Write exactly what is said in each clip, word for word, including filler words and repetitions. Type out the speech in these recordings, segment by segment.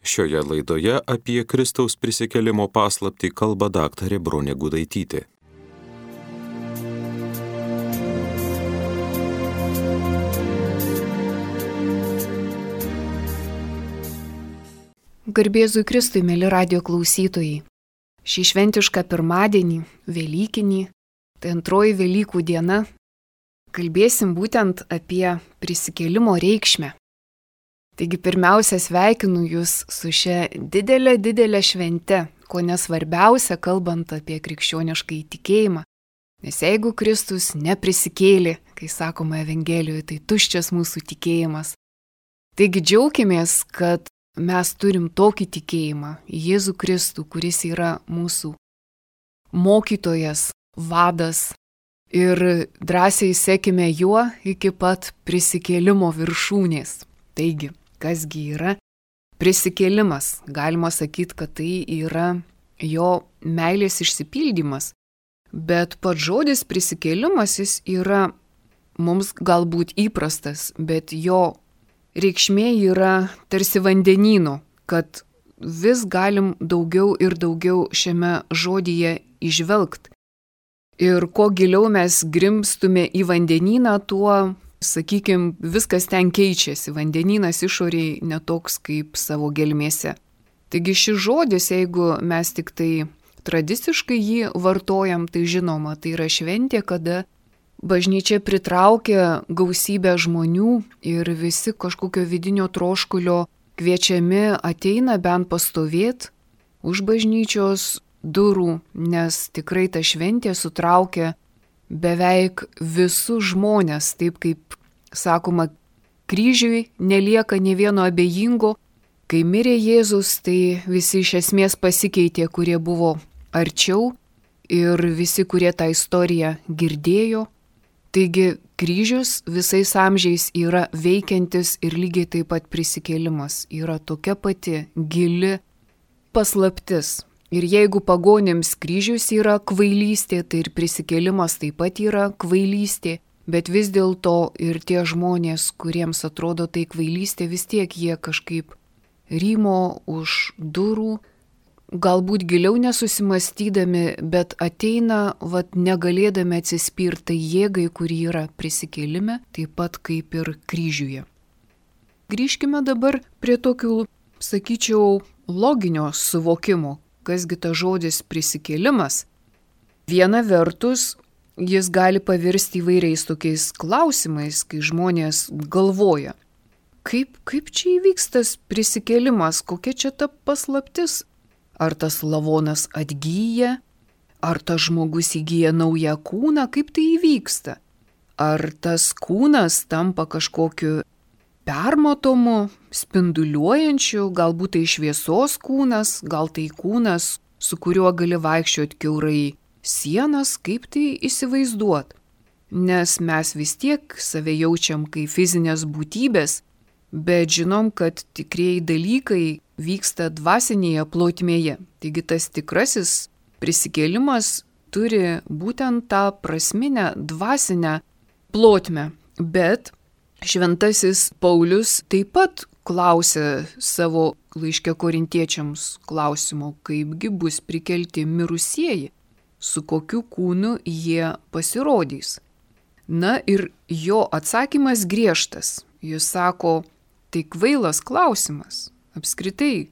Šioje laidoje apie Kristaus prisikėlimo paslaptį kalba daktarė Bronė Gudaitytė. Garbėzui Kristui, mėly radijo klausytojai. Šį šventišką pirmadienį, Velykinį, tai antroji Velykų diena, kalbėsim būtent apie prisikėlimo reikšmę. Taigi pirmiausia sveikinu Jūs su šia didelė, didelė švente, ko nesvarbiausia kalbant apie krikščionišką įtikėjimą. Nes jeigu Kristus neprisikėlė, kai sakoma Evangelijoje, tai tuščias mūsų tikėjimas. Taigi džiaukimės, kad mes turim tokį tikėjimą į Jėzų Kristų, kuris yra mūsų mokytojas, vadas, ir drąsiai sekime juo iki pat prisikėlimo viršūnės. Taigi, kasgi yra prisikėlimas? Galima sakyti, kad tai yra jo meilės išsipildymas, bet pats žodis prisikėlimas jis yra mums galbūt įprastas, bet jo reikšmė yra tarsi vandenyno, kad vis galim daugiau ir daugiau šiame žodyje įžvelgti. Ir kuo giliau mes grimstume į vandenyną, tuo, sakykime, viskas ten keičiasi. Vandenynas išoriai netoks kaip savo gelmėse. Taigi šis žodis, jeigu mes tik tai tradiciškai jį vartojam, tai žinoma, tai yra šventė, kada bažnyčia pritraukia gausybę žmonių ir visi kažkokio vidinio troškulio kviečiami ateina bent pastovėti už bažnyčios durų, nes tikrai ta šventė sutraukia beveik visus žmonės, taip kaip sakoma, kryžiui nelieka nė vieno abejingo. Kai mirė Jėzus, tai visi iš esmės pasikeitė, kurie buvo arčiau ir visi, kurie tą istoriją girdėjo. Taigi kryžius visais amžiais yra veikiantis ir lygiai taip pat prisikėlimas yra tokia pati gili paslaptis. Ir jeigu pagonims kryžius yra kvailystė, tai ir prisikėlimas taip pat yra kvailystė, bet vis dėlto ir tie žmonės, kuriems atrodo tai kvailystė, vis tiek jie kažkaip rymo už durų, galbūt giliau nesusimastydami, bet ateina, vat, negalėdami atsispirti jėgai, kuri yra prisikėlime, taip pat kaip ir kryžiuje. Grįžkime dabar prie tokių, sakyčiau, loginio suvokimo. Kasgi ta žodis prisikėlimas? Viena vertus, jis gali pavirsti įvairiais tokiais klausimais, kai žmonės galvoja, kaip, kaip čia įvyks tas prisikėlimas, kokia čia ta paslaptis? Ar tas lavonas atgyja? Ar tas žmogus įgyja naują kūną? Kaip tai įvyksta? Ar tas kūnas tampa kažkokiu permatomu, spinduliuojančiu, galbūt tai šviesos kūnas, gal tai kūnas, su kuriuo gali vaikščioti kiaurai sienas, kaip tai įsivaizduot. Nes mes vis tiek save jaučiam kaip fizinės būtybės, bet žinom, kad tikrieji dalykai vyksta dvasinėje plotmėje. Taigi tas tikrasis prisikėlimas turi būtent tą prasminę dvasinę plotmę, bet Šventasis Paulius taip pat klausė savo laiške korintiečiams klausimo, kaipgi bus prikelti mirusieji, su kokiu kūnu jie pasirodys. Na ir jo atsakymas griežtas. Jis sako, tai kvailas klausimas. Apskritai,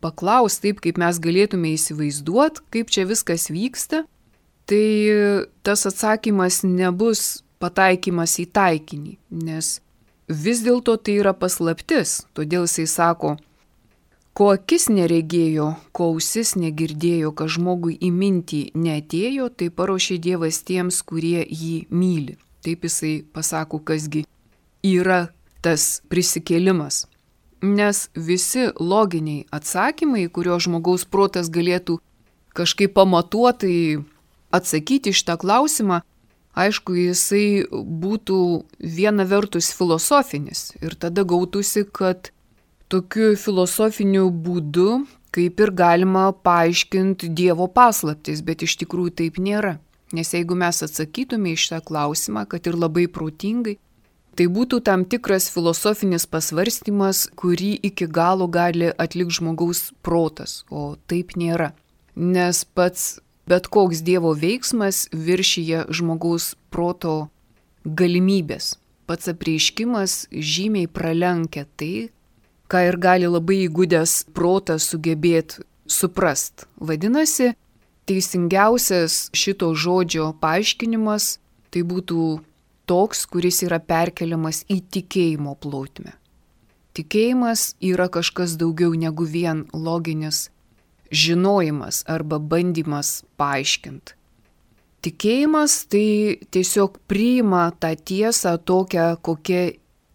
paklaus taip, kaip mes galėtume įsivaizduoti, kaip čia viskas vyksta, tai tas atsakymas nebus pataikymas į taikinį, nes vis dėlto tai yra paslaptis, todėl jisai sako, ko akis neregėjo, ko ausis negirdėjo, kad žmogui į mintį neatėjo, tai paruošė Dievas tiems, kurie jį myli. Taip jisai pasako, kasgi yra tas prisikėlimas. Nes visi loginiai atsakymai, kurio žmogaus protas galėtų kažkaip pamatuotai atsakyti šitą klausimą, aišku, jisai būtų viena vertus filosofinis ir tada gautųsi, kad tokiu filosofiniu būdu kaip ir galima paaiškinti Dievo paslaptis, bet iš tikrųjų taip nėra. Nes jeigu mes atsakytume į šitą klausimą, kad ir labai protingai, Tai būtų tam tikras filosofinis pasvarstymas, kurį iki galo gali atlikti žmogaus protas, o taip nėra. Nes pats bet koks Dievo veiksmas viršyje žmogaus proto galimybės. Pats apreiškimas žymiai pralenkia tai, ką ir gali labai įgudęs protas sugebėti suprast. Vadinasi, teisingiausias šito žodžio paaiškinimas tai būtų toks, kuris yra perkeliamas į tikėjimo plotmę. Tikėjimas yra kažkas daugiau negu vien loginis žinojimas arba bandymas paaiškinti. Tikėjimas tai tiesiog priima tą tiesą tokią, kokia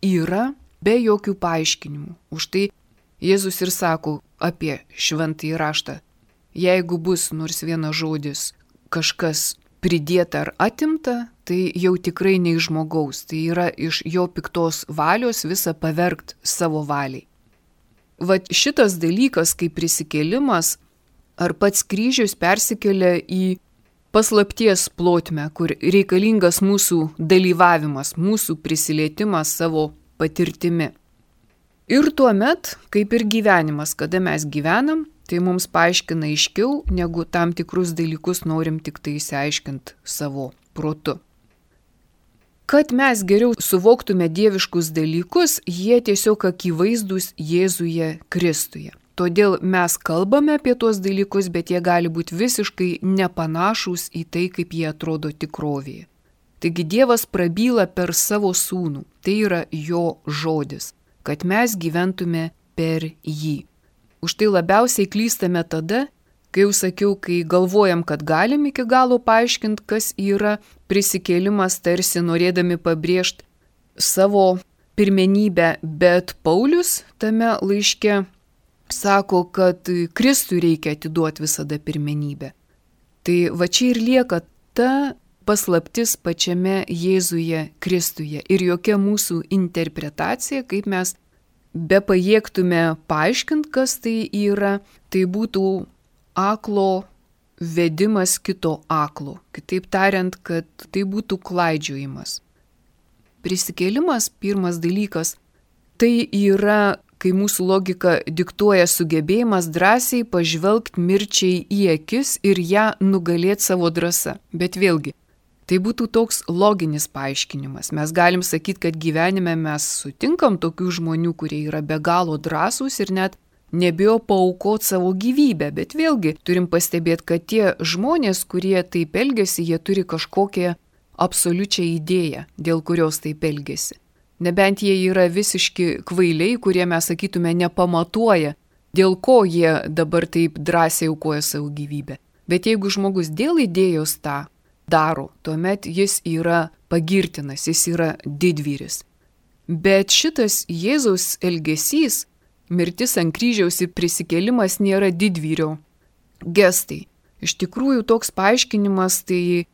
yra, be jokių paaiškinimų. Už tai Jėzus ir sako apie šventąjį raštą. Jeigu bus nors vienas žodis kažkas pridėta ar atimta, tai jau tikrai ne iš žmogaus, tai yra iš jo piktos valios visą pavergt savo valiai. Vat šitas dalykas, kaip prisikėlimas, ar pats kryžius persikelia į paslapties plotmę, kur reikalingas mūsų dalyvavimas, mūsų prisilietimas savo patirtimi. Ir tuomet, kaip ir gyvenimas, kada mes gyvenam, tai mums paaiškina aiškiau, negu tam tikrus dalykus norim tik tai išsiaiškinti savo protu. Kad mes geriau suvoktume dieviškus dalykus, jie tiesiog akivaizdūs Jėzuje Kristuje. Todėl mes kalbame apie tuos dalykus, bet jie gali būti visiškai nepanašūs į tai, kaip jie atrodo tikrovėje. Taigi Dievas prabyla per savo sūnų, tai yra jo žodis, kad mes gyventume per jį. Už tai labiausiai klystame tada, kai jau sakiau, kai galvojam, kad galim iki galo paaiškinti, kas yra prisikėlimas, tarsi norėdami pabrėžti savo pirmenybę, bet Paulius tame laiške sako, kad Kristui reikia atiduoti visada pirmenybę. Tai va čia ir lieka ta paslaptis pačiame Jėzuje Kristuje ir jokia mūsų interpretacija, kaip mes bepajėgtume paaiškinti, kas tai yra, tai būtų aklo vedimas kito aklo. Kitaip tariant, kad tai būtų klaidžiojimas. Prisikėlimas, pirmas dalykas, tai yra, kai mūsų logika diktuoja sugebėjimas drąsiai pažvelgti mirčiai į akis ir ją nugalėti savo drąsa. Bet vėlgi, tai būtų toks loginis paaiškinimas. Mes galim sakyti, kad gyvenime mes sutinkam tokių žmonių, kurie yra be galo drąsūs ir net nebijo paaukoti savo gyvybę. Bet vėlgi turim pastebėti, kad tie žmonės, kurie taip elgiasi, jie turi kažkokią absoliučią idėją, dėl kurios taip elgiasi. Nebent jie yra visiški kvailiai, kurie mes sakytume nepamatuoja, dėl ko jie dabar taip drąsiai aukoja savo gyvybę. Bet jeigu žmogus dėl idėjos tą daro, tuomet jis yra pagirtinas, jis yra didvyris. Bet šitas Jėzaus elgesys, mirtis ant kryžiaus ir prisikėlimas nėra didvyrio gestai. Iš tikrųjų toks paaiškinimas tai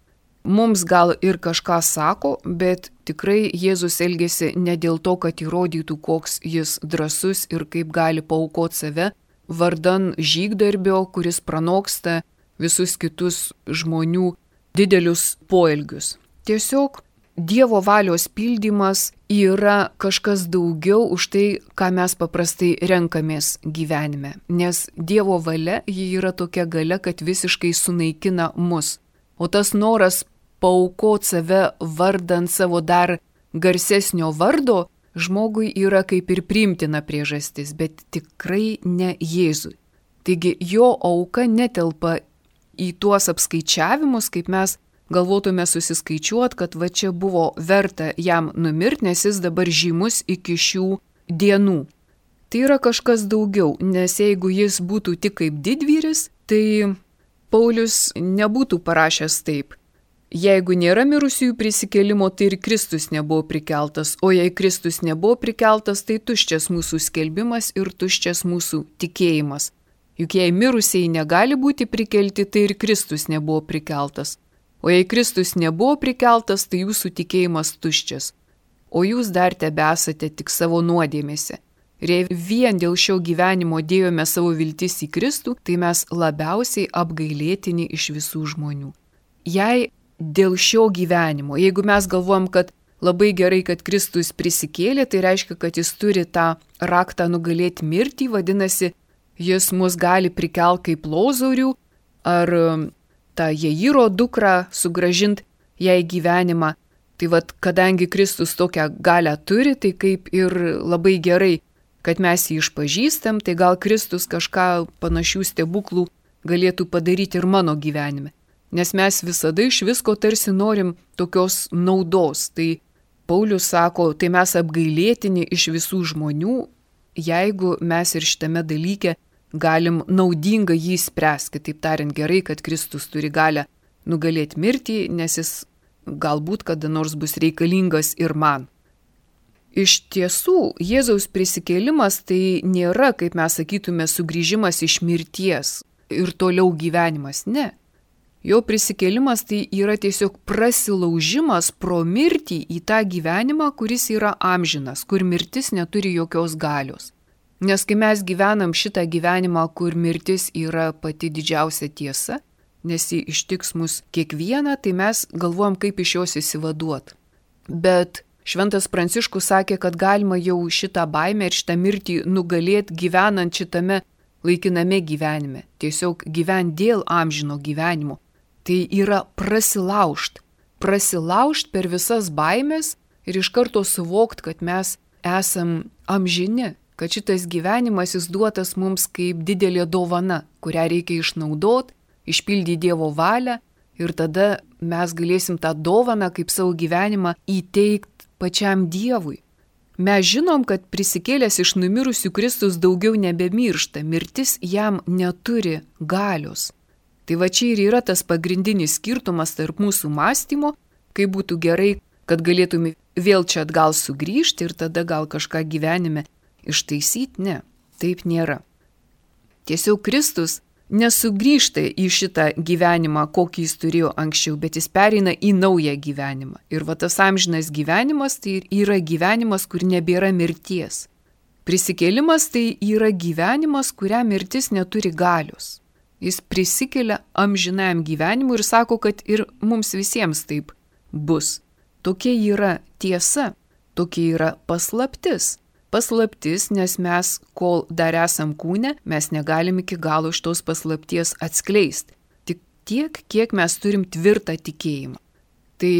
mums gal ir kažką sako, bet tikrai Jėzus elgėsi ne dėl to, kad įrodytų, koks jis drąsus ir kaip gali paaukoti save vardan žygdarbio, kuris pranoksta visus kitus žmonių didelius poelgius. Tiesiog Dievo valios pildymas yra kažkas daugiau už tai, ką mes paprastai renkamės gyvenime. Nes Dievo valia ji yra tokia galia, kad visiškai sunaikina mus. O tas noras paaukoti save vardant savo dar garsesnio vardo žmogui yra kaip ir priimtina priežastis, bet tikrai ne Jėzui. Taigi jo auka netelpa į tuos apskaičiavimus, kaip mes galvotume susiskaičiuoti, kad va čia buvo verta jam numirti, nes jis dabar žymus iki šių dienų. Tai yra kažkas daugiau, nes jeigu jis būtų tik kaip didvyris, tai Paulius nebūtų parašęs taip. Jeigu nėra mirusiųjų prisikėlimo, tai ir Kristus nebuvo prikeltas, o jei Kristus nebuvo prikeltas, tai tuščias mūsų skelbimas ir tuščias mūsų tikėjimas. Juk jei mirusieji negali būti prikelti, tai ir Kristus nebuvo prikeltas. O jei Kristus nebuvo prikeltas, tai jūsų tikėjimas tuščias. O jūs dar tebesate tik savo nuodėmėse. Ir jei vien dėl šio gyvenimo dėjome savo viltis į Kristų, tai mes labiausiai apgailėtini iš visų žmonių. Jei dėl šio gyvenimo, jeigu mes galvojam, kad labai gerai, kad Kristus prisikėlė, tai reiškia, kad jis turi tą raktą nugalėti mirtį, vadinasi, jis mus gali prikelti kaip Lozorių, ar tą Jairo dukrą sugrąžinti jai gyvenimą. Tai vad, kadangi Kristus tokią galią turi, tai kaip ir labai gerai, kad mes jį išpažįstam, tai gal Kristus kažką panašių stebuklų galėtų padaryti ir mano gyvenime. Nes mes visada iš visko tarsi norim tokios naudos. Tai Paulius sako, tai mes apgailėtini iš visų žmonių, jeigu mes ir šitame dalyke galim naudinga jį spręsti. Kitaip tariant, gerai, kad Kristus turi galę nugalėti mirtį, nes jis galbūt kada nors bus reikalingas ir man. Iš tiesų, Jėzaus prisikėlimas tai nėra, kaip mes sakytume, sugrįžimas iš mirties ir toliau gyvenimas. Ne. Jo prisikėlimas tai yra tiesiog prasilaužimas pro mirtį į tą gyvenimą, kuris yra amžinas, kur mirtis neturi jokios galios. Nes kai mes gyvenam šitą gyvenimą, kur mirtis yra pati didžiausia tiesa, nes ji ištiks mus kiekvieną, tai mes galvojam, kaip iš jos įsivaduot. Bet Šventas Pranciškus sakė, kad galima jau šitą baimę ir šitą mirtį nugalėti gyvenant šitame laikiname gyvenime. Tiesiog gyvent dėl amžino gyvenimo. Tai yra prasilaužt. Prasilaužt per visas baimės ir iš karto suvokt, kad mes esam amžini, kad šitas gyvenimas jis duotas mums kaip didelė dovana, kurią reikia išnaudot, išpildyti Dievo valią ir tada mes galėsim tą dovaną kaip savo gyvenimą įteikti pačiam Dievui. Mes žinom, kad prisikėlęs iš numirusių Kristus daugiau nebemiršta, mirtis jam neturi galios. Tai va čia ir yra tas pagrindinis skirtumas tarp mūsų mąstymo, kaip būtų gerai, kad galėtume vėl čia atgal sugrįžti ir tada gal kažką gyvenime ištaisyti. Ne, taip nėra. Tiesiog Kristus nesugrįžta į šitą gyvenimą, kokį jis turėjo anksčiau, bet jis pereina į naują gyvenimą. Ir va tas amžinas gyvenimas tai yra gyvenimas, kur nebėra mirties. Prisikėlimas tai yra gyvenimas, kuriam mirtis neturi galios. Jis prisikelia amžinajam gyvenimui ir sako, kad ir mums visiems taip bus. Tokia yra tiesa, tokia yra paslaptis. Paslaptis, nes mes, kol dar esam kūne, mes negalim iki galo iš tos paslapties atskleisti. Tik tiek, kiek mes turim tvirtą tikėjimą. Tai,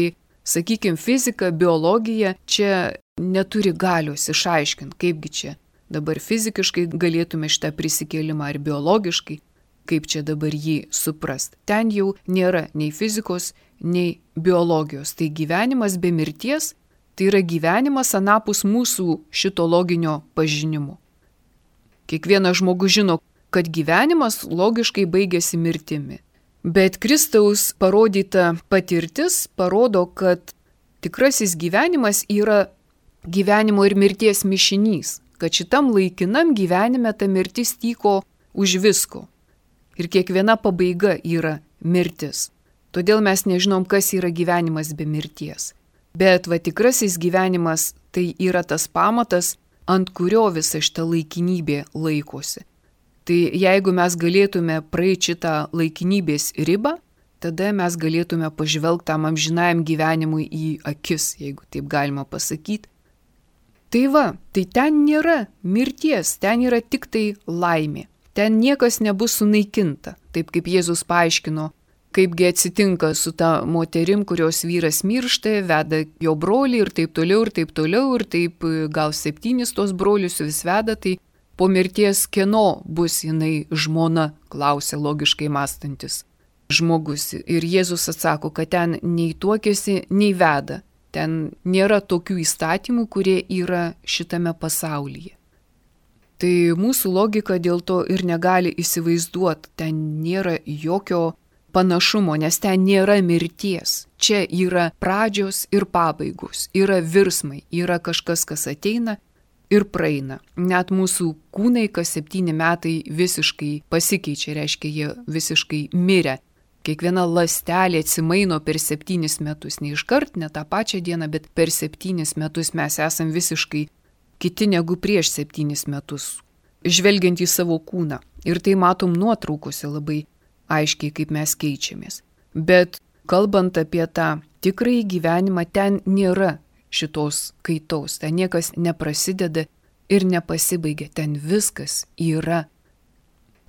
sakykime, fizika, biologija čia neturi galios išaiškinti, kaipgi čia dabar fizikiškai galėtume šitą prisikėlimą ar biologiškai, kaip čia dabar jį suprast. Ten jau nėra nei fizikos, nei biologijos. Tai gyvenimas be mirties, tai yra gyvenimas anapus mūsų šito loginio pažinimo. Kiekvienas žmogus žino, kad gyvenimas logiškai baigėsi mirtimi. Bet Kristaus parodyta patirtis parodo, kad tikrasis gyvenimas yra gyvenimo ir mirties mišinys, kad šitam laikinam gyvenime ta mirtis tyko už visko. Ir kiekviena pabaiga yra mirtis. Todėl mes nežinom, kas yra gyvenimas be mirties. Bet va tikrasis gyvenimas tai yra tas pamatas, ant kurio visa šita laikinybė laikosi. Tai jeigu mes galėtume praeiti šitą laikinybės ribą, tada mes galėtume pažvelgti tam amžinajam gyvenimui į akis, jeigu taip galima pasakyti. Tai va, tai ten nėra mirties, ten yra tik tai laimė. Ten niekas nebus sunaikinta, taip kaip Jėzus paaiškino, kaipgi atsitinka su ta moterim, kurios vyras miršta, veda jo brolį ir taip toliau, ir taip toliau, ir taip gal septynis tos brolius vis veda, tai po mirties kieno bus jinai žmona, klausė logiškai mąstantis žmogus. Ir Jėzus atsako, kad ten nei tuokiasi, nei veda. Ten nėra tokių įstatymų, kurie yra šitame pasaulyje. Tai mūsų logika dėl to ir negali įsivaizduoti, ten nėra jokio panašumo, nes ten nėra mirties. Čia yra pradžios ir pabaigos, yra virsmai, yra kažkas, kas ateina ir praeina. Net mūsų kūnai kas septyni metai visiškai pasikeičia, reiškia, jie visiškai mirę. Kiekviena ląstelė atsimaino per septynis metus, ne iškart, ne tą pačią dieną, bet per septynis metus mes esam visiškai kiti negu prieš septynis metus, žvelgiant į savo kūną. Ir tai matom nuotraukose labai aiškiai, kaip mes keičiamės. Bet kalbant apie tą tikrąjį gyvenimą, ten nėra šitos kaitos. Ten niekas neprasideda ir nepasibaigia. Ten viskas yra.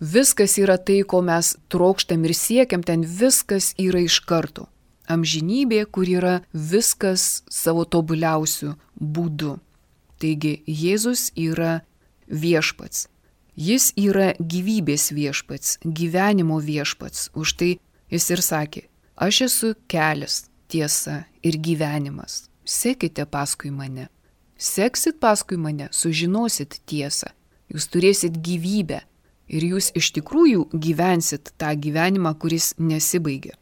Viskas yra tai, ko mes trokštam ir siekiam, ten viskas yra iš karto. Amžinybė, kur yra viskas savo tobuliausių būdų. Taigi Jėzus yra viešpats. Jis yra gyvybės viešpats, gyvenimo viešpats. Už tai jis ir sakė, aš esu kelias, tiesa ir gyvenimas. Sekite paskui mane. Seksit paskui mane, sužinosit tiesą. Jūs turėsit gyvybę ir jūs iš tikrųjų gyvensit tą gyvenimą, kuris nesibaigia.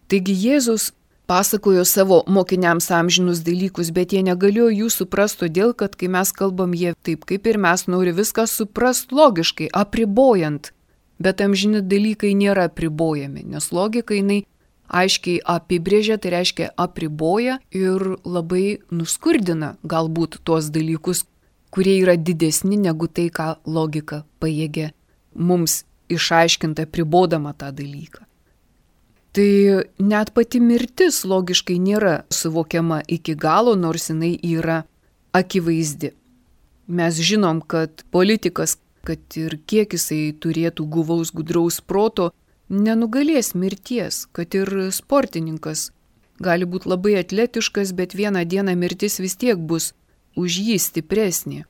Taigi Jėzus pasakojo savo mokiniams amžinus dalykus, bet jie negalėjo jų suprasti, todėl kad kai mes kalbam, jie taip kaip ir mes nori viską suprasti logiškai, apribojant. Bet amžini dalykai nėra apribojami, nes logika jinai aiškiai apibrėžia, tai reiškia apriboja ir labai nuskurdina galbūt tuos dalykus, kurie yra didesni negu tai, ką logika pajėgia mums išaiškinti apribodama tą dalyką. Tai net pati mirtis logiškai nėra suvokiama iki galo, nors jinai yra akivaizdi. Mes žinom, kad politikas, kad ir kiek jisai turėtų guvaus gudraus proto, nenugalės mirties, kad ir sportininkas gali būti labai atletiškas, bet vieną dieną mirtis vis tiek bus už jį stipresnė.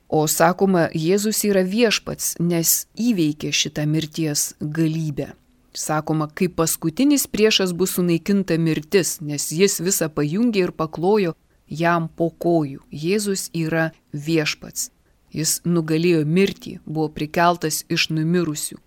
O sakoma, Jėzus yra viešpats, nes įveikė šitą mirties galybę. Sakoma, kaip paskutinis priešas bus sunaikinta mirtis, nes jis visą pajungė ir paklojo jam po kojų. Jėzus yra viešpats. Jis nugalėjo mirtį, buvo prikeltas iš numirusių.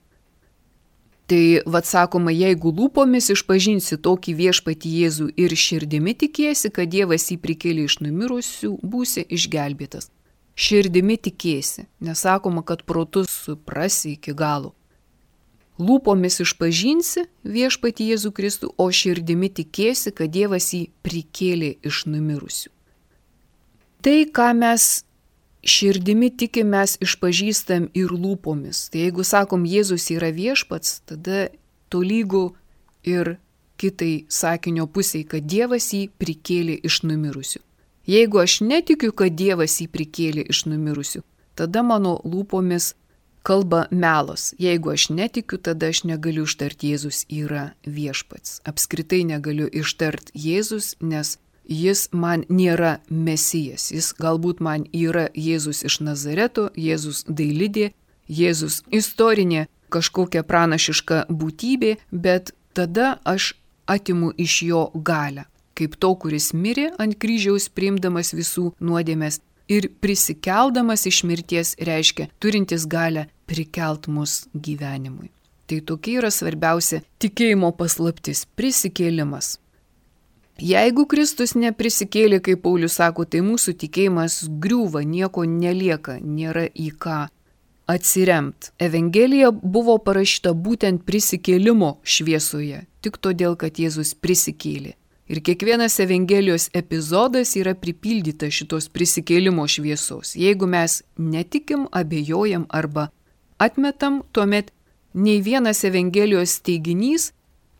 Tai vat sakoma, jeigu lūpomis išpažinsi tokį viešpatį Jėzų ir širdimi tikėsi, kad Dievas jį prikėlė iš numirusių, būsi išgelbėtas. Širdimi tikėsi, nesakoma, kad protus suprasi iki galo. Lūpomis išpažinsi viešpatį Jėzų Kristų, o širdimi tikėsi, kad Dievas jį prikėlė iš numirusių. Tai, ką mes širdimi tikim, mes išpažįstam ir lūpomis. Tai jeigu sakom, Jėzus yra viešpats, tada tolygu ir kitai sakinio pusiai, kad Dievas jį prikėlė iš numirusių. Jeigu aš netikiu, kad Dievas jį prikėlė iš numirusių, tada mano lūpomis kalba melas. Jeigu aš netikiu, tada aš negaliu ištarti Jėzus yra viešpats. Apskritai negaliu ištarti Jėzus, nes jis man nėra mesijas. Jis galbūt man yra Jėzus iš Nazareto, Jėzus dailidė, Jėzus istorinė kažkokia pranašiška būtybė, bet tada aš atimu iš jo galią. Kaip to, kuris mirė ant kryžiaus priimdamas visų nuodėmes ir prisikeldamas iš mirties reiškia turintis galę prikelt mus gyvenimui. Tai tokia yra svarbiausia tikėjimo paslaptis – prisikėlimas. Jeigu Kristus neprisikėlė, kaip Paulius sako, tai mūsų tikėjimas griūva, nieko nelieka, nėra į ką atsiremt. Evangelija buvo parašyta būtent prisikėlimo šviesoje, tik todėl, kad Jėzus prisikėlė. Ir kiekvienas Evangelijos epizodas yra pripildyta šitos prisikėlimo šviesos. Jeigu mes netikim, abejojam arba atmetam, tuomet nei vienas Evangelijos teiginys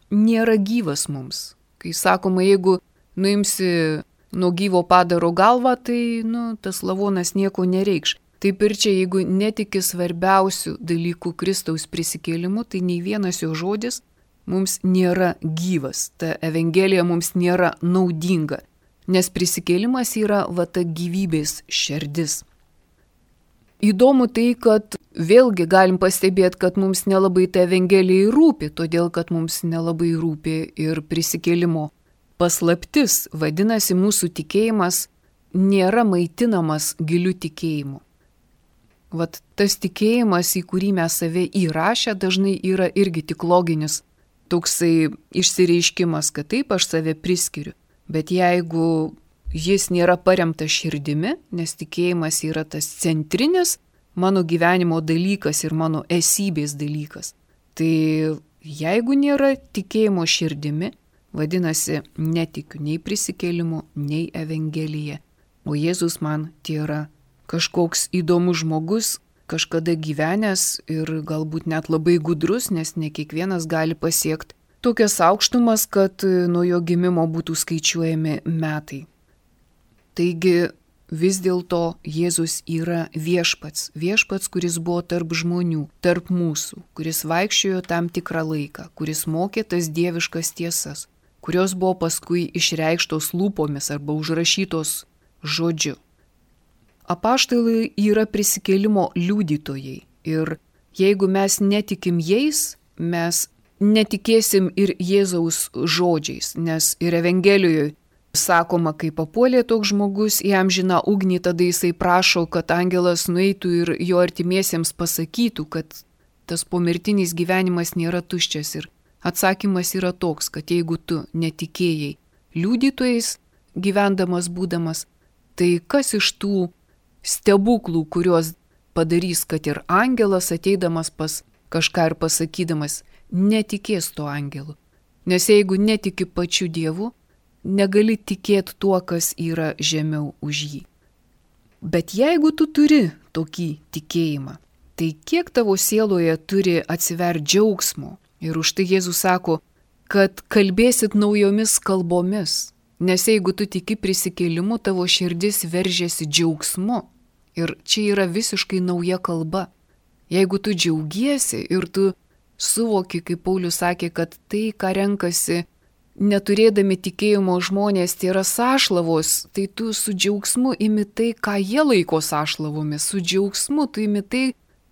nėra gyvas mums. Kai sakoma, jeigu nuimsi nuo gyvo padaro galvą, tai nu, tas lavonas nieko nereikš. Taip ir čia, jeigu netiki svarbiausių dalykų Kristaus prisikėlimu, tai nei vienas jo žodis mums nėra gyvas, ta Evangelija mums nėra naudinga, nes prisikėlimas yra va ta gyvybės šerdis. Įdomu tai, kad vėlgi galim pastebėti, kad mums nelabai ta Evangelija rūpi, todėl kad mums nelabai rūpi ir prisikėlimo paslaptis, vadinasi, mūsų tikėjimas nėra maitinamas giliu tikėjimu. Vat tas tikėjimas, į kurį mes save įrašę, dažnai yra irgi tik loginis toksai išsireiškimas, kad taip aš save priskiriu. Bet jeigu jis nėra paremtas širdimi, nes tikėjimas yra tas centrinis mano gyvenimo dalykas ir mano esybės dalykas, tai jeigu nėra tikėjimo širdimi, vadinasi, netikiu nei prisikėlimu, nei Evangelija. O Jėzus man tai yra kažkoks įdomus žmogus, kažkada gyvenęs ir galbūt net labai gudrus, nes ne kiekvienas gali pasiekti tokias aukštumas, kad nuo jo gimimo būtų skaičiuojami metai. Taigi vis dėlto Jėzus yra viešpats, viešpats, kuris buvo tarp žmonių, tarp mūsų, kuris vaikščiojo tam tikrą laiką, kuris mokė tas dieviškas tiesas, kurios buvo paskui išreikštos lūpomis arba užrašytos žodžiu. Apaštalai yra prisikėlimo liudytojai ir jeigu mes netikim jais, mes netikėsim ir Jėzaus žodžiais, nes ir Evangelijoje sakoma, kai papuolė toks žmogus į amžiną ugnį, tada jisai prašo, kad angelas nueitų ir jo artimiesiems pasakytų, kad tas pomirtinis gyvenimas nėra tuščias. Ir atsakymas yra toks, kad jeigu tu netikėjai liudytojais gyvendamas būdamas, tai kas iš tų stebuklų, kuriuos padarys, kad ir angelas ateidamas pas kažką ir pasakydamas, netikės to angelu. Nes jeigu netiki pačiu Dievu, negali tikėti tuo, kas yra žemiau už jį. Bet jeigu tu turi tokį tikėjimą, tai kiek tavo sieloje turi atsiverti džiaugsmo. Ir už tai Jėzus sako, kad kalbėsit naujomis kalbomis. Nes jeigu tu tiki prisikėlimu, tavo širdis veržiasi džiaugsmu. Ir čia yra visiškai nauja kalba. Jeigu tu džiaugiesi ir tu suvoki, kaip Paulius sakė, kad tai, ką renkasi neturėdami tikėjimo žmonės, tai yra sąšlavos, tai tu su džiaugsmu imi tai, ką jie laiko sąšlavomis. Su džiaugsmu tu imi tai,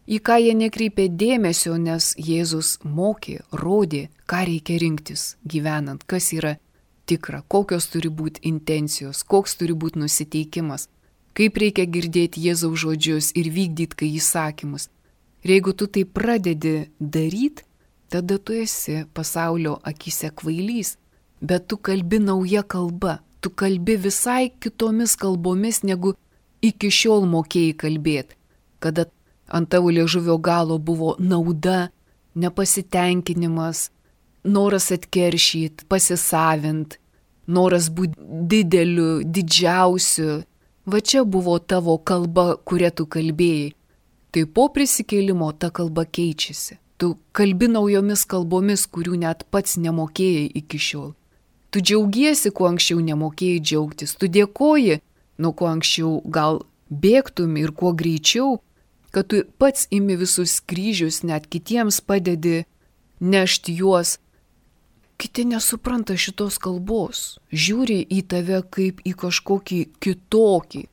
į ką jie nekreipė dėmesio, nes Jėzus mokė, rodė, ką reikia rinktis gyvenant, kas yra tikra, kokios turi būti intencijos, koks turi būti nusiteikimas, kaip reikia girdėti Jėzaus žodžius ir vykdyti kai įsakymus. Ir jeigu tu tai pradedi daryti, tada tu esi pasaulio akise kvailys, bet tu kalbi nauja kalba, tu kalbi visai kitomis kalbomis, negu iki šiol mokėjai kalbėti, kada ant tavo liežuvio galo buvo nauda, nepasitenkinimas, noras atkeršyti, pasisavint, noras būti dideliu, didžiausiu. Va čia buvo tavo kalba, kurią tu kalbėjai. Tai po prisikėlimo ta kalba keičiasi. Tu kalbi naujomis kalbomis, kurių net pats nemokėjai iki šiol. Tu džiaugiesi, kuo anksčiau nemokėjai džiaugtis. Tu dėkoji, nuo ko anksčiau gal bėgtum ir kuo greičiau, kad tu pats imi visus kryžius, net kitiems padedi nešti juos. Kiti nesupranta šitos kalbos, žiūri į tave kaip į kažkokį kitokį.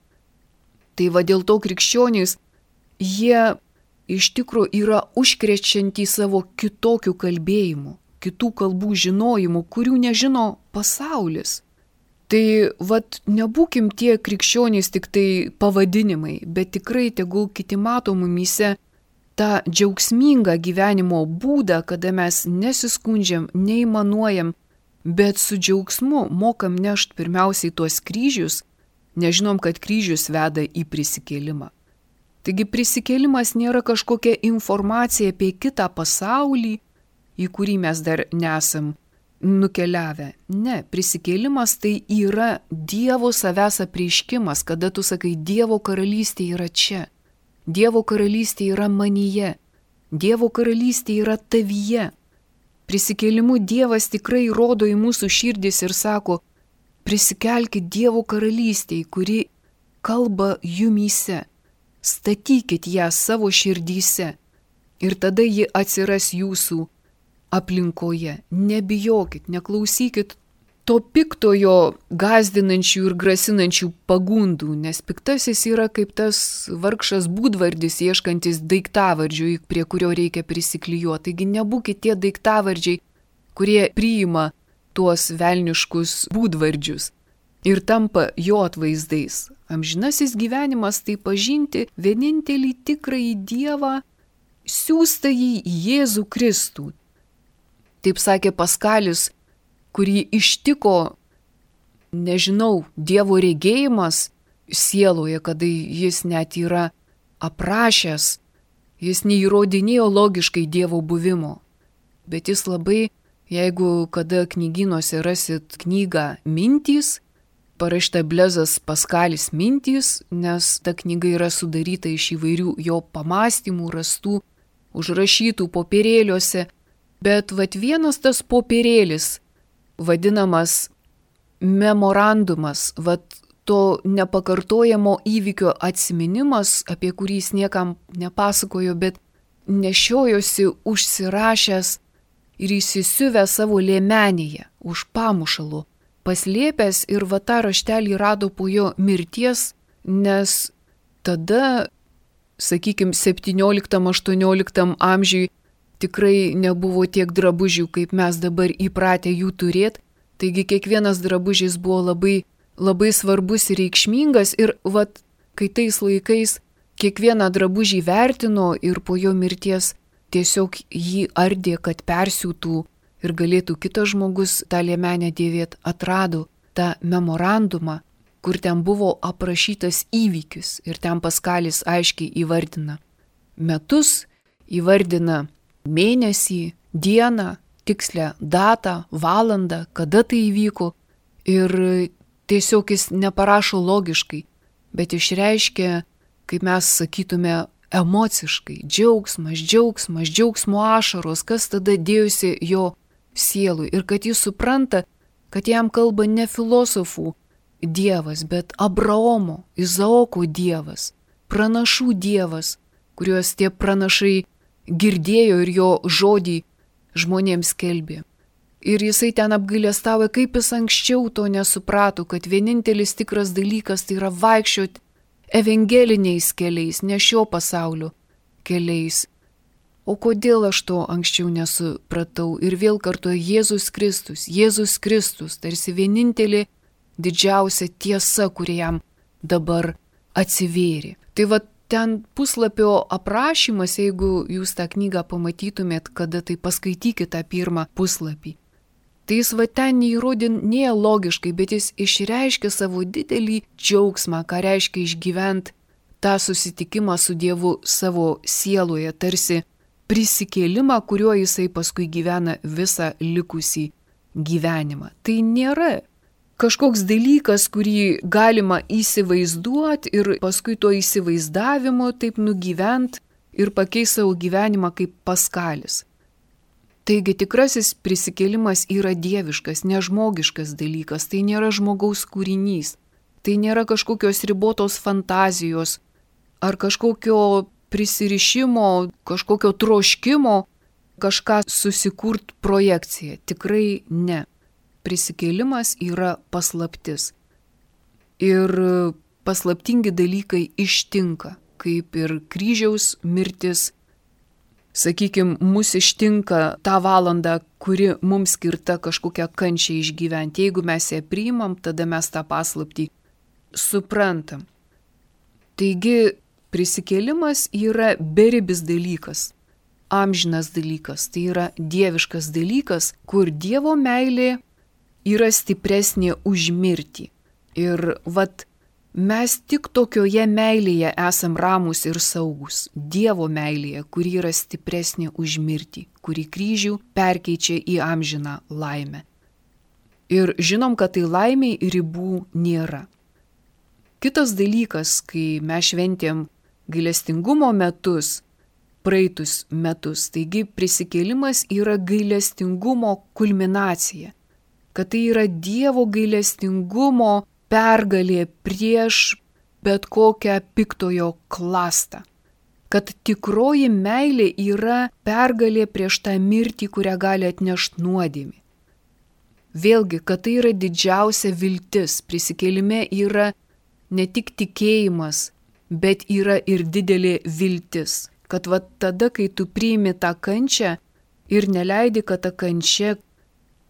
Tai va dėl to krikščionys, jie iš tikrųjų yra užkrečiantys savo kitokių kalbėjimų, kitų kalbų žinojimų, kurių nežino pasaulis. Tai vat nebūkim tie krikščionys tik tai pavadinimai, bet tikrai tegul kiti mato mumyse tą džiaugsmingą gyvenimo būdą, kada mes nesiskundžiam, neįmanuojam, bet su džiaugsmu mokam nešti pirmiausiai tuos kryžius, nežinom, kad kryžius veda į prisikėlimą. Taigi prisikėlimas nėra kažkokia informacija apie kitą pasaulį, į kurį mes dar nesam nukeliavę. Ne, prisikėlimas tai yra Dievo savęs apreiškimas, kada tu sakai, Dievo karalystė yra čia, Dievo karalystė yra manyje, Dievo karalystė yra tavyje. Prisikėlimu Dievas tikrai rodo į mūsų širdis ir sako, prisikelkit Dievo karalystėj, kuri kalba jumyse. Statykit ją savo širdyse ir tada ji atsiras jūsų aplinkoje. Nebijokit, neklausykit to piktojo gąsdinančių ir grasinančių pagundų, nes piktasis yra kaip tas vargšas būdvardis ieškantis daiktavardžių, prie kurio reikia prisiklijuoti. Taigi nebūkit tie daiktavardžiai, kurie priima tuos velniškus būdvardžius ir tampa jo atvaizdais. Amžinasis gyvenimas tai pažinti vienintelį tikrąjį Dievą, siųstąjį Jėzų Kristų. Taip sakė Paskalis, kurį ištiko, nežinau, Dievo regėjimas sieloje, kada jis net yra aprašęs, jis neįrodinėjo logiškai Dievo buvimo. Bet jis labai, jeigu kada knygynuose rasit knygą Mintys, parašyta Blezas Paskalis Mintys, nes ta knyga yra sudaryta iš įvairių jo pamastymų, rastų, užrašytų popierėliuose. Bet vat vienas tas popierėlis, vadinamas memorandumas, vat to nepakartojamo įvykio atsiminimas, apie kurį jis niekam nepasakojo, bet nešiojosi užsirašęs ir įsisiuvęs savo liemenėje už pamušalo, paslėpęs ir va tą raštelį rado po jo mirties, nes tada, sakykime, septynioliktam aštuonioliktam amžiui tikrai nebuvo tiek drabužių, kaip mes dabar įpratę jų turėti, taigi kiekvienas drabužis buvo labai, labai svarbus ir reikšmingas ir vat, kai tais laikais kiekvieną drabužį vertino ir po jo mirties tiesiog jį ardė, kad persiūtų ir galėtų kitas žmogus tą liemenę dėvėti, atrado tą memorandumą, kur ten buvo aprašytas įvykis ir ten Paskalis aiškiai įvardina metus, įvardina mėnesį, dieną, tikslę datą, valandą, kada tai įvyko ir tiesiog jis neparašo logiškai, bet išreiškia, kaip mes sakytume, emociškai, džiaugsmas, džiaugsmas, džiaugsmo ašaros, kas tada dėjusi jo sielui ir kad jis supranta, kad jam kalba ne filosofų dievas, bet Abraomo, Izaoko dievas, pranašų dievas, kuriuos tie pranašai girdėjo ir jo žodį žmonėms skelbė. Ir jisai ten apgailestavo, kaip jis anksčiau to nesuprato, kad vienintelis tikras dalykas tai yra vaikščioti evangeliniais keliais, ne šio pasaulio keliais. O kodėl aš to anksčiau nesupratau? Ir vėl kartuoja Jėzus Kristus, Jėzus Kristus, tarsi vienintelė didžiausia tiesa, kuri jam dabar atsivėrė. Tai va ten puslapio aprašymas, jeigu jūs tą knygą pamatytumėt, kada tai paskaitykite tą pirmą puslapį. Tai jis va ten neįrodė nie logiškai, bet jis išreiškia savo didelį džiaugsmą, ką reiškia išgyventi tą susitikimą su Dievu savo sieloje, tarsi prisikėlimą, kuriuo jisai paskui gyvena visą likusį gyvenimą. Tai nėra kažkoks dalykas, kurį galima įsivaizduoti ir paskui to įsivaizdavimo taip nugyvent ir pakeisti savo gyvenimą kaip Paskalis. Taigi tikrasis prisikėlimas yra dieviškas, nežmogiškas dalykas, tai nėra žmogaus kūrinys, tai nėra kažkokios ribotos fantazijos ar kažkokio prisirišimo, kažkokio troškimo kažką susikurt projekciją. Tikrai ne. Prisikėlimas yra paslaptis. Ir paslaptingi dalykai ištinka, kaip ir kryžiaus mirtis. Sakykime, mus ištinka tą valandą, kuri mums skirta kažkokią kančią išgyventi. Jeigu mes ją priimam, tada mes tą paslaptį suprantam. Taigi, prisikėlimas yra beribis dalykas, amžinas dalykas, tai yra dieviškas dalykas, kur Dievo meilė yra stipresnė už mirtį. Ir vat mes tik tokioje meilėje esam ramūs ir saugus. Dievo meilėje, kuri yra stipresnė už mirtį, kuri kryžių perkeičia į amžiną laimę. Ir žinom, kad tai laimiai ribų nėra. Kitas dalykas, kai mes šventėm gailestingumo metus, praeitus metus, taigi prisikėlimas yra gailestingumo kulminacija, kad tai yra Dievo gailestingumo pergalė prieš bet kokią piktojo klastą. Kad tikroji meilė yra pergalė prieš tą mirtį, kurią gali atnešti nuodėmė. Vėlgi, kad tai yra didžiausia viltis. Prisikėlime yra ne tik tikėjimas, bet yra ir didelė viltis. Kad va tada, kai tu priimi tą kančią ir neleidi, kad ta kančia,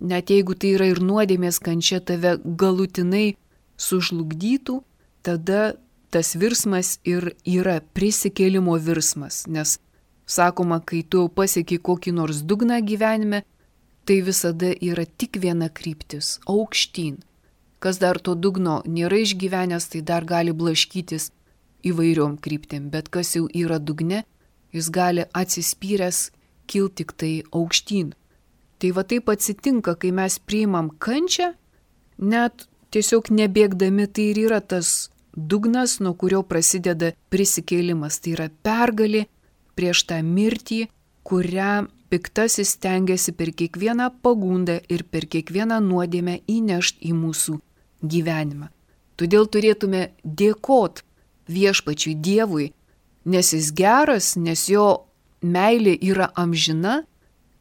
net jeigu tai yra ir nuodėmės kančia, tave galutinai sužlugdytų, tada tas virsmas ir yra prisikėlimo virsmas, nes sakoma, kai tu pasieki kokį nors dugną gyvenime, tai visada yra tik viena kryptis – aukštyn. Kas dar to dugno nėra išgyvenęs, tai dar gali blaškytis įvairiom kryptim, bet kas jau yra dugne, jis gali atsispyręs kilti tik tai aukštyn. Tai va taip atsitinka, kai mes priimam kančią, net tiesiog nebėgdami, tai ir yra tas dugnas, nuo kurio prasideda prisikėlimas. Tai yra pergalė prieš tą mirtį, kurią piktasis stengiasi per kiekvieną pagundą ir per kiekvieną nuodėmę įnešti į mūsų gyvenimą. Todėl turėtume dėkot viešpačiui Dievui, nes jis geras, nes jo meilė yra amžina,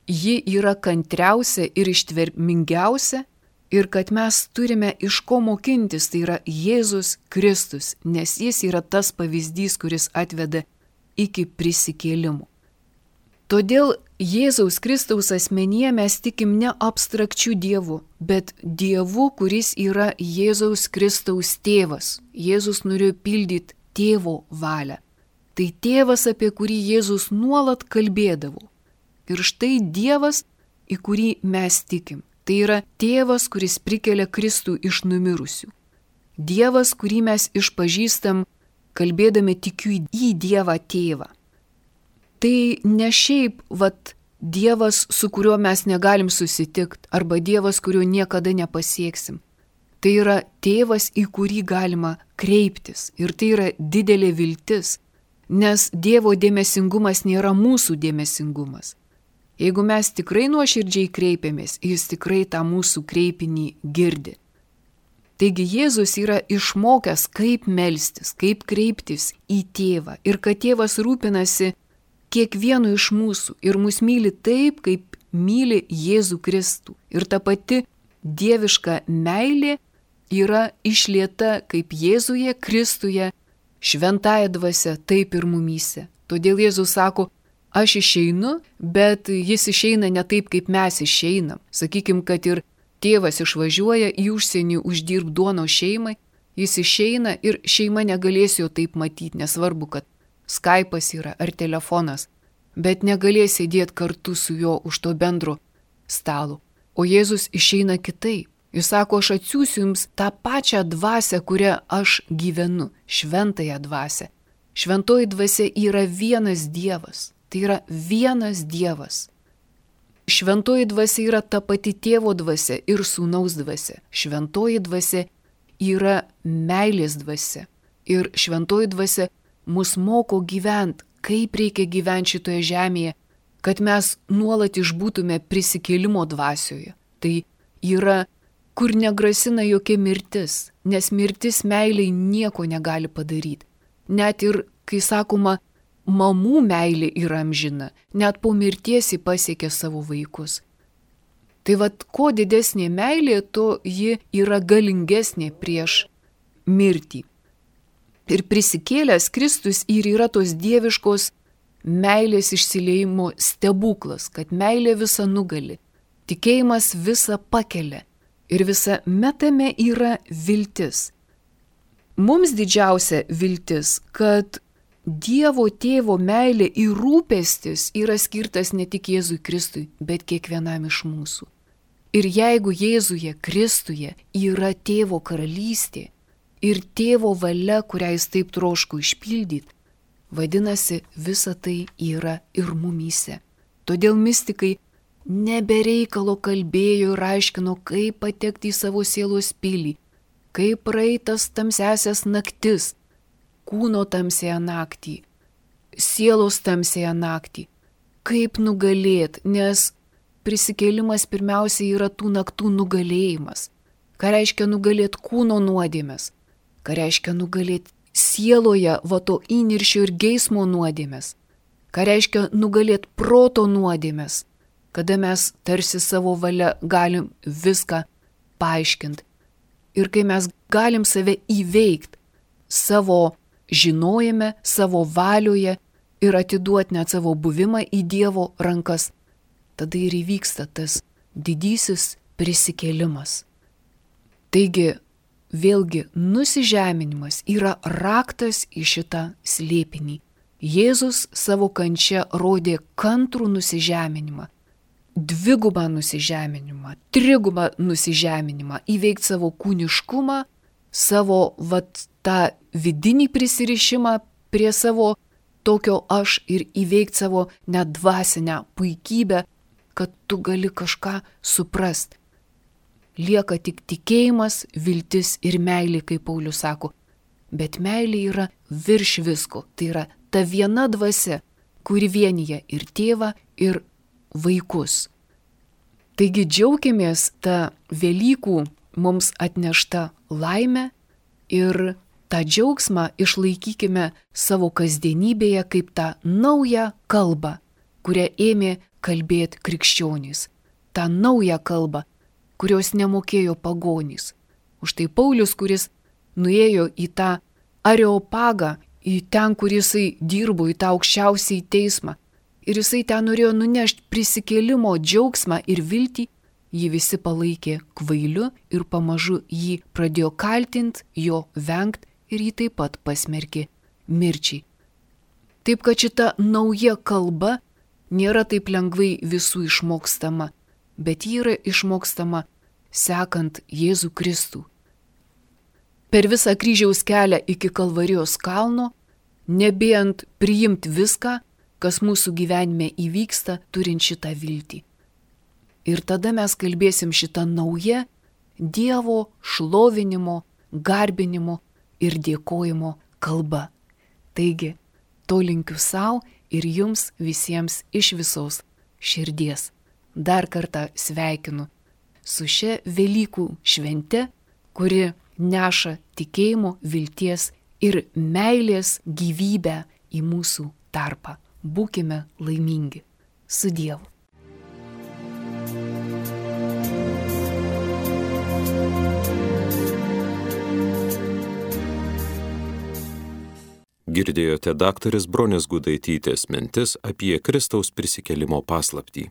ji yra kantriausia ir ištvermingiausia ir kad mes turime iš ko mokintis, tai yra Jėzus Kristus, nes jis yra tas pavyzdys, kuris atveda iki prisikėlimo. Todėl Jėzaus Kristaus asmenyje mes tikim ne abstrakčių dievų, bet dievu, kuris yra Jėzaus Kristaus tėvas. Jėzus norėjo pildyti tėvo valią. Tai tėvas, apie kurį Jėzus nuolat kalbėdavo. Ir štai Dievas, į kurį mes tikim. Tai yra tėvas, kuris prikelia Kristų iš numirusių. Dievas, kurį mes išpažįstam, kalbėdami tikiu į Dievą tėvą. Tai ne šiaip, vat, Dievas, su kuriuo mes negalim susitikti, arba Dievas, kurio niekada nepasieksim. Tai yra tėvas, į kurį galima kreiptis. Ir tai yra didelė viltis, nes Dievo dėmesingumas nėra mūsų dėmesingumas. Jeigu mes tikrai nuoširdžiai kreipiamės, jis tikrai tą mūsų kreipinį girdi. Taigi Jėzus yra išmokęs, kaip melstis, kaip kreiptis į tėvą ir kad tėvas rūpinasi kiekvienu iš mūsų ir mus myli taip, kaip myli Jėzų Kristų. Ir ta pati dieviška meilė yra išlieta kaip Jėzuje, Kristuje, šventąja dvasia, taip ir mumyse. Todėl Jėzus sako, aš išeinu, bet jis išeina ne taip, kaip mes išeinam. Sakykim, kad ir tėvas išvažiuoja į užsienį uždirb duono šeimai, jis išeina ir šeima negalės jo taip matyti, nesvarbu, kad Skype'as yra ar telefonas, bet negalės sėdėti kartu su juo už to bendro stalo. O Jėzus išeina kitaip. Jis sako, aš atsiųsiu jums tą pačią dvasią, kurią aš gyvenu, šventąją dvasią. Šventoji dvasia yra vienas Dievas. Tai yra vienas Dievas. Šventoji dvasia yra ta pati tėvo dvasia ir sūnaus dvasia. Šventoji dvasia yra meilės dvasia. Ir šventoji dvasia mus moko gyventi, kaip reikia gyventi šitoje žemėje, kad mes nuolat išbūtume prisikėlimo dvasioje. Tai yra, kur negrasina jokia mirtis, nes mirtis meiliai nieko negali padaryti. Net ir, kai sakoma, mamų meilė yra amžina, net po mirties ji pasiekia savo vaikus. Tai vad, kuo didesnė meilė, to ji yra galingesnė prieš mirtį. Ir prisikėlęs Kristus ir yra tos dieviškos meilės išsiliejimo stebuklas, kad meilė visą nugali, tikėjimas visą pakelia ir visa metame yra viltis. Mums didžiausia viltis, kad Dievo tėvo meilė ir rūpestis yra skirtas ne tik Jėzui Kristui, bet kiekvienam iš mūsų. Ir jeigu Jėzuje Kristuje yra tėvo karalystė ir tėvo valia, kurią jis taip troško išpildyti, vadinasi, visa tai yra ir mumyse. Todėl mistikai nebereikalo kalbėjo ir aiškino, kaip patekti į savo sielos pilį, kaip praeitas tamsiasias naktis, kūno tamsėje naktį, sielos tamsėje naktį, kaip nugalėt, nes prisikėlimas pirmiausia yra tų naktų nugalėjimas. Ką reiškia nugalėt kūno nuodėmes, ką reiškia nugalėt sieloje vato įniršio ir geismo nuodėmes, ką reiškia nugalėt proto nuodėmes, kada mes tarsi savo valia galim viską paaiškinti. Ir kai mes galim save įveikti savo žinojime, savo valioje ir atiduoti net savo buvimą į Dievo rankas, tada ir įvyksta tas didysis prisikėlimas. Taigi, vėlgi, nusižeminimas yra raktas į šitą slėpinį. Jėzus savo kančia rodė kantrų nusižeminimą, dvigubą nusižeminimą, trigubą nusižeminimą, įveikti savo kūniškumą, savo vat, tą vidinį prisirišimą prie savo tokio aš ir įveikti savo net dvasinę puikybę, kad tu gali kažką suprast. Lieka tik tikėjimas, viltis ir meilė, kaip Paulius sako. Bet meilė yra virš visko. Tai yra ta viena dvasia, kuri vienyje ir tėvą, ir vaikus. Taigi džiaukimės tą Velykų mums atnešta laimę, Ir tą džiaugsmą išlaikykime savo kasdienybėje kaip tą naują kalbą, kurią ėmė kalbėti krikščionys. tą naują kalbą, kurios nemokėjo pagonys. Už tai Paulius, kuris nuėjo į tą Areopagą, į ten, kur jisai dirbo, į tą aukščiausiai teismą, ir jisai ten norėjo nunešti prisikėlimo džiaugsmą ir viltį, jį visi palaikė kvailiu ir pamažu jį pradėjo kaltinti, jo vengti ir jį taip pat pasmerkė mirčiai. Taip kad šita nauja kalba nėra taip lengvai visų išmokstama, bet ji yra išmokstama sekant Jėzų Kristų. Per visą kryžiaus kelią iki Kalvarijos kalno, nebijant priimti viską, kas mūsų gyvenime įvyksta, turint šitą viltį. Ir tada mes kalbėsim šitą naują Dievo šlovinimo, garbinimo ir dėkojimo kalbą. Taigi, to linkiu savo ir jums visiems iš visos širdies. Dar kartą sveikinu su šia Velykų švente, kuri neša tikėjimo, vilties ir meilės gyvybę į mūsų tarpą. Būkime laimingi. Su Dievu. Girdėjote daktarės Bronės Gudaitytės mintis apie Kristaus prisikėlimo paslaptį.